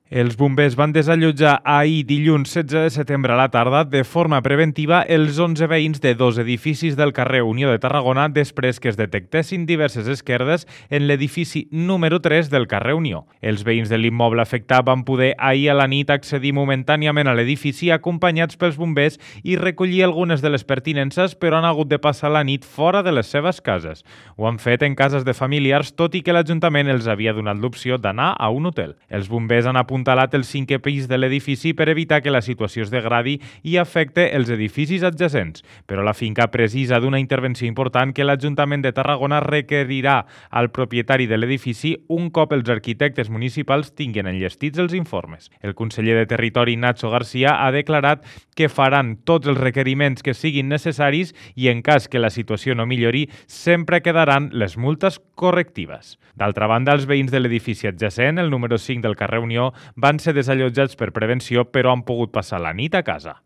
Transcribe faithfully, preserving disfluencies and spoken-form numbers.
Els bombers van desallotjar ahir, dilluns setze de setembre a la tarda, de forma preventiva, els onze veïns de dos edificis del carrer Unió de Tarragona després que es detectessin diverses esquerdes en l'edifici número tres del carrer Unió. Els veïns de l'immoble afectat van poder ahir a la nit accedir momentàniament a l'edifici acompanyats pels bombers i recollir algunes de les pertinences, però han hagut de passar la nit fora de les seves cases. Ho han fet en cases de familiars, tot i que l'Ajuntament els havia donat l'opció d'anar a un hotel. Els bombers han apuntat apuntalat el cinquè pis de l'edifici per evitar que la situació es degradi i afecte els edificis adjacents. Però la finca precisa d'una intervenció important que l'Ajuntament de Tarragona requerirà al propietari de l'edifici un cop els arquitectes municipals tinguin enllestits els informes. El conseller de Territori, Nacho García, ha declarat que faran tots els requeriments que siguin necessaris i en cas que la situació no millori, sempre quedaran les multes correctives. D'altra banda, els veïns de l'edifici adjacent, el número cinc del carrer Unió, van ser desallotjats per prevenció, però han pogut passar la nit a casa.